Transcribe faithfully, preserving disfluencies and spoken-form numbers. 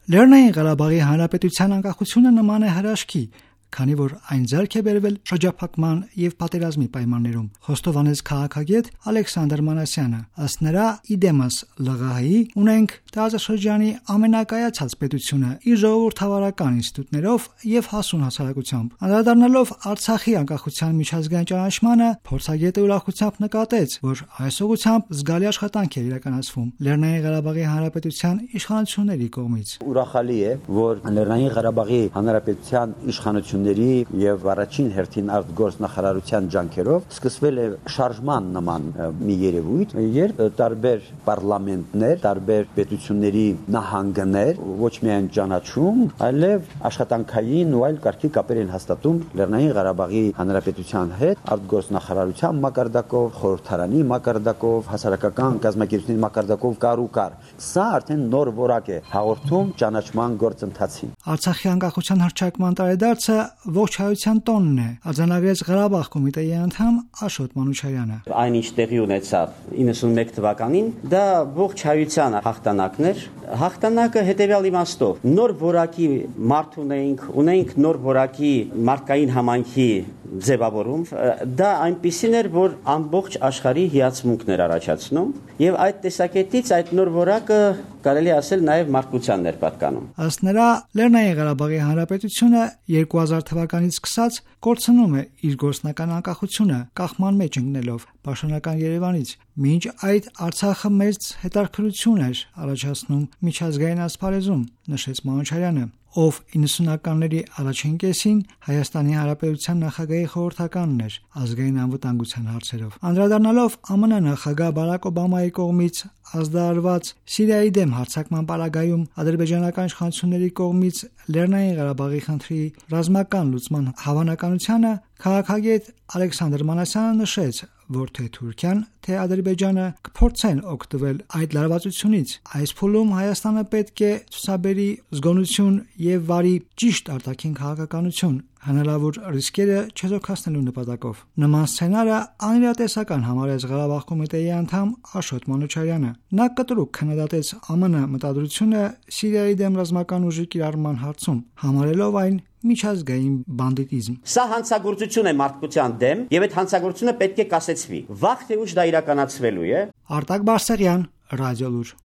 Լեռնային Ղարաբաղի Հանրապետության անկախությունը նման է հրաշքի, քանի որ այն ձեռք է բերվել շրջափակման եւ պատերազմի պայմաններում, խոստովանեց քաղաքագետ Ալեքսանդր Մանասյանը։ Ըստ նրա, իդեմս ԼՂՀ-ի ունենք տարածաշրջանի ամենակայացած պետությունը իր ժողովրդավարական ինստիտուտներով եւ հասուն հասարակությամբ։ Անդրադառնալով Արցախի անկախության միջազգային ճանաչմանը, փորձագետը ուրախությամբ նկատեց, որ այս ուղղությամբ զգալի աշխատանք է իրականացվում Լեռնային Ղարաբաղի Հանրապետության իշխանությունների կողմից։ Ուրախալի է, որ Լեռնային Ղարաբաղի Հանրապետության իշխանությունների եւ առաջին հերթին արտգործնախարարության ջանքերով սկսվել է շարժման նման մի երևույթ, երբ տարբեր պարլամենտներ, տարբեր պետությունների նահանգներ ոչ միայն ճանաչում, այլև աշխատանքային ու այլ կարգի կապեր են հաստատում Լեռնային Ղարաբաղի Հանրապետության հետ արտգործնախարարության մակարդակով, խորհրդարանի մակարդակով, հասարակական կազմակերպությունների մակարդակով կար ու կար։ Սա արդեն նոր որակ է հաղորդում ճանաչման գործընթացին։ Արցախի անկախության հռչակման տարեդարձը ողջ հայության տոնն է, արձանագրեց Ղարաբաղ կոմիտեի անդամ Աշոտ Մանուչարյանը։ Այնինչ տեղի ունեցավ իննսունմեկ թվականին, դա ողջ հայության հաղթանակն էր։ Հաղթանակը հետևյալ իմաստով, նոր որակի մարդ ունեինք, ունեինք նոր որակի մարդկային համայնքի ձևավորում, դա այնպիսին էր, որ ամբողջ աշխարհի հիացմունքն էր առաջացնում, եւ այդ տեսակետից այդ նոր որակը կարելի ասել նաեւ մարդկությանն էր պատկանում։ Ըստ նրա, Լեռնային Ղարաբաղի Հանրապետությունը երկու հազար թվականից սկսած կորցնում է իր գործնական անկախությունը, կախման մեջ ընկնելով պաշտոնական Երևանից։ Մինչ այդ Արցախը մեծ հետաքրքրություն էր առաջացնում միջազգային ասպարեզում, նշեց Մանուչարյանը, ով իննսունականների առաջին կեսին Հայաստանի Հանրապետության նախագահի խորհրդականն էր ազգային անվտանգության հարցերով։ Անդրադառնալով ԱՄՆ նախագահ Բարակ Օբամայի կողմից ազդարարված Սիրիայի դեմ հարձակման պարագայում ադրբեջանական իշխանությունների կողմից Լեռնային Ղարաբաղի խնդրի ռազմական լուծման հավանականությանը, քաղաքագետ Ալեքսանդր Մանասյանը նշեց, որ թե Թուրքիան, թե Ադրբեջանը կփորձեն օգտվել այդ լարվածությունից։ Այս փուլում Հայաստանը պետք է ցուցաբերի զգոնություն եւ վարի ճիշտ արտաքին քաղաքականություն, հնարավոր ռիսկերը չեզոքացնելու նպատակով։ Նման սցենարը անիրատեսական համարեց Ղարաբաղ կոմիտեի անդամ Աշոտ Մանուչարյանը։ Նա կտրուկ քննադատեց ԱՄՆ մտադրությունը Սիրիայի դեմ ռազմական ուժի կիրառման հարցում, համարելով այն միջազգային բանդիտիզմ։ Սա հանցագործություն է մարդկության դեմ, եւ այդ հանցագործությունը պետք է կասեցվի։ Վաղ թե ուշ դա իրականացվելու է։ Արտակ Բարսեղյան, Ռադիոլուր։